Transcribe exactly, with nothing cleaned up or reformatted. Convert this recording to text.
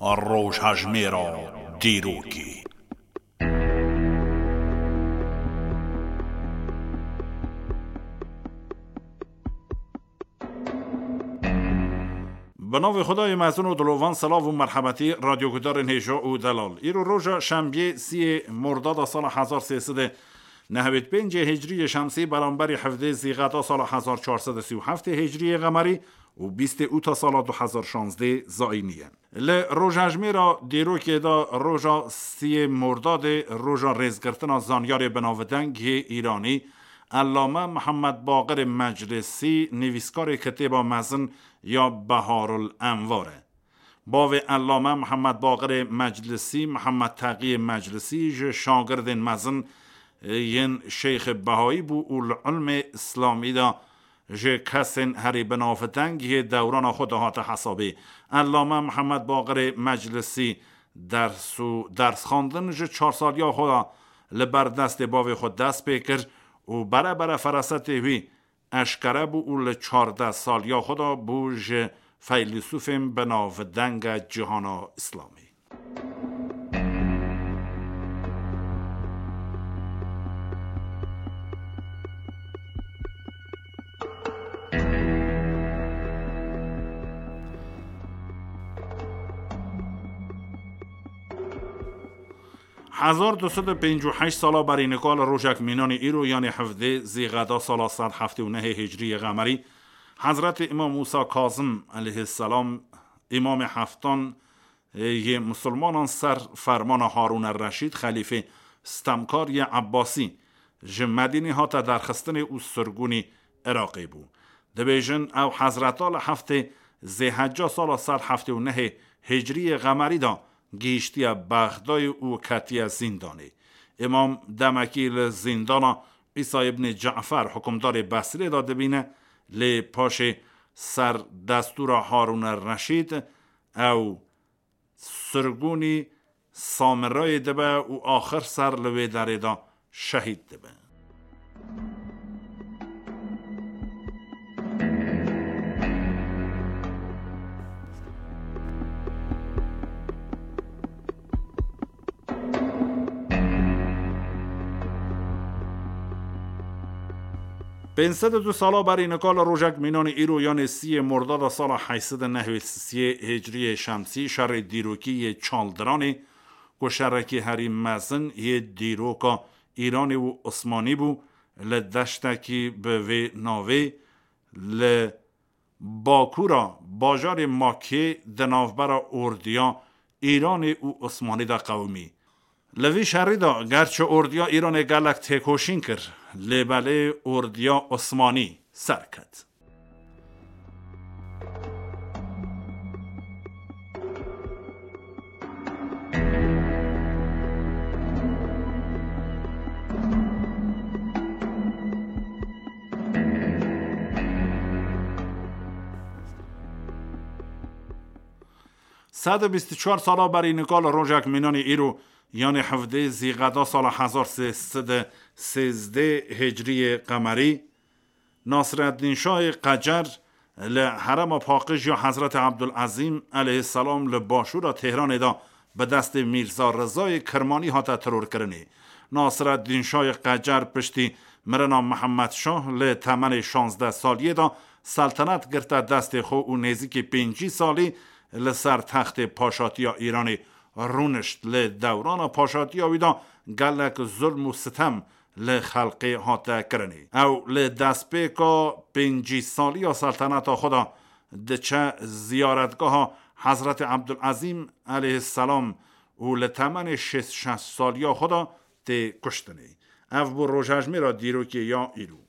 Rojhejmêra dîrokê. Bi navê Xwedayê mezin û dilovan, silav û merhebetî radyogudarên hêja û delal. Îro roja şembiyê siyê Mordada sala hezar sê sed û nehwêd pêncê hicriyê şemsî, beramberî hevdê Zîxeta sala hezar çar sed û sî û heftê hicriyê qemerî û bîstê Ûta sala du hezar şazdê zayînî ye. Li rojejmêra dîrokê de roja siyê Mordadê, roja rêzgirtina zanyarê binavdeng yê Îranî, Ellame Mihemed Baqirê Meclisî, nivîskarê kitêba mezin ya Beharul Envar e. Bavê Ellame Mihemed Baqirê Meclisî, Mihemed Teqiyê Meclisî, ji şagirdên mezin yên Şeyxê Behayî bû û li ilmê Îslamî de ji kesên herî binavdeng yê dewrana xwe de hate hesabê. Ellame Mihemed Baqirê Meclisî ders û dersxwendin ji çar saliya xwe de li ber destê bavê xwe dest pê kir û bere bere ferasetê wî eşkere bû û li çardeh saliya xwe de bû ji feylîsûfên binavdenge cîhana Îslamî. Hezar du sed û pêncî û heşt sala berî nika li rojek mînanî îro, yanê hevdê Zîxeda sala sed heftê û nehê hicriyê qemerî, Hezretê Îmam Mûsa Kazim aleyhisselam, Îmamê Heftan, yê misilmanan ser fermana Harûn er Reşîd, xelîfê stemkar yê Ebbasî, ji Medînê hate derxistinê û sirgûnî Iraqê bû. Dibêjin, ew hezreta li heftê Zêhecca sala sed heftê û nehê hicriyê qemerî de gihîştiye Bexdayê û ketiye zîndanê. Îmam demekî li zîndana Îsa îbnê Cefer, hukimdarê Besrê de dibîne, lê paşê ser destûra Harûn er Reşîd ew sirgûnî Samirayê dibe û axir ser li wê derê de şehîd dibe. Pênc sed û du sala berî nika li rojek mînanî îro, yanê siyê Mordada sala heyt sed û nehwêd siyê hicriyê şemsî, şerê dîrokî yê Çaldiranê, ku şerekî herî mezin yê dîroka Îranê û Osmanî bû, li deştekî bi vê navê li bakûra bajarê Makê di navbera ordiya Îranê û Osmanî de qewimî. Li vî şerî de gerçi ordiya Îranê gelek têkoşîn kir, lê belê ordiya Osmanî ser ket. Sed û bîst û çar sala berî nika li rojek mînanî îro, yanê hevdê Zîqeda sala hezar sê sed û sêzdeh hicriyê qemerî, Nasreddîn Şahê Qecer li herema paqij ya Hezretê Ebdulezîm aleyhisselam li başûra Tehranê de bi destê Mîrza Rizayê Kirmanî hate terorkirinê. Nasreddîn Şahê Qecer piştî mirina Mihemed Şah li temenê şazdeh saliyê de seltenet girte destê xwe û nêzîkî pêncî salî li ser textê paşatiya Îranê rûnişt. Li dewrana paşatiya wî de gelek zulm û sitem li xelkê hate kirinê. Ew li destpêka pêncî saliya selteneta xwe de diçe ziyaretgeha Hezretê Ebdulezîm aleyhisselam û li temenê şêst şeş saliya xwe de tê kuştinê. Ev bû rojhejmêra dîrokê ya îro.